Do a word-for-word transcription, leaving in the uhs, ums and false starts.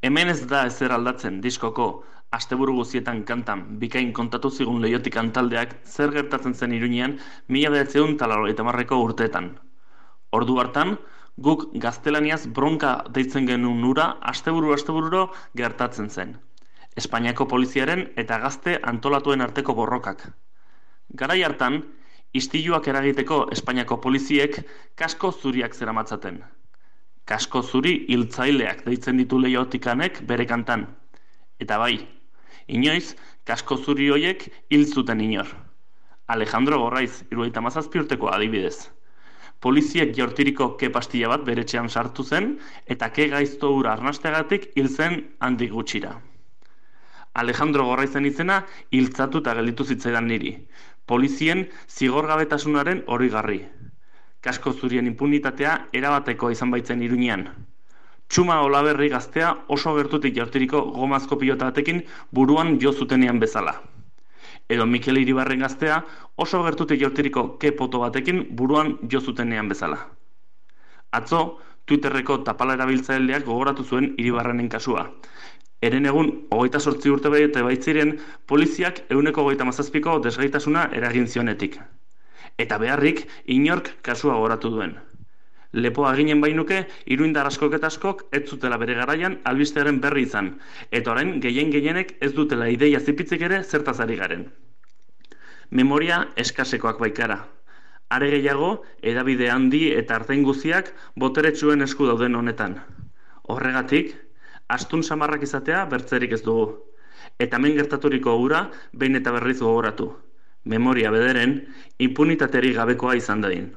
Hemen ez da ezer aldatzen diskoko asteburu guztietan kantan bikain kontatu zigun Leiotik taldeak zer gertatzen zen Iruñean mila bederatziehun eta laurogeita hamarreko urteetan. Ordu hartan, guk gaztelaniaz bronka deitzen genuen hura asteburu astebururo gertatzen zen. Espainiako poliziaren eta gazte antolatuen arteko borrokak. Garai hartan, istiluak eragiteko Espainiako poliziek kasko zuriak zeramatzaten. Kasko zuri hiltzaileak deitzen ditu Leiotikanek bere kantan. Eta bai, inoiz, kasko zuri hoiek hil zuten inor. Alejandro Gorraiz, hirurogeita hamazazpi urteko adibidez. Poliziek jaurtiriko ke pastilla bat bere etxean sartu zen, eta ke gaizto hura arnasteagatik hil zen handik gutxira. Alejandro Gorraizen izena hiltzatu eta gelditu zitzaidan niri. Polizien zigorgabetasunaren horigarri. Kasko zurien impunitatea erabateko izan baitzen Iruñean. Txuma Olaberri gaztea oso gertutik jaurtiriko gomazko pilota batekin buruan jo zutenean bezala. Edo Mikel Iribarren gaztea oso gertutik jaurtiriko ke poto batekin buruan jo zutenean bezala. Atzo, Twitterreko tapala erabiltzaileak gogoratu zuen Iribarrenen kasua. Eren egun, hogeita zortzi urte bete baitziren, poliziak ehuneko hogeita hamazazpiko desgaitasuna eragin zionetik. Eta beharrik, inork kasua gogoratu duen. Lepoa ginen bainuke, iruindar askok eta askok ez zutela bere garaian albistearen berri izan, eta orain gehien gehienek ez dutela ideia zipitzik ere zertaz ari garen. Memoria eskasekoak baikara. Are gehiago, hedabide handi eta artein guztiak boteretsuen esku dauden honetan. Horregatik, astun samarrak izatea bertzerik ez dugu. Eta hemen gertaturiko hura behin eta berriz gogoratu. Memoria bederen, impunitaterik gabekoa izan dadin.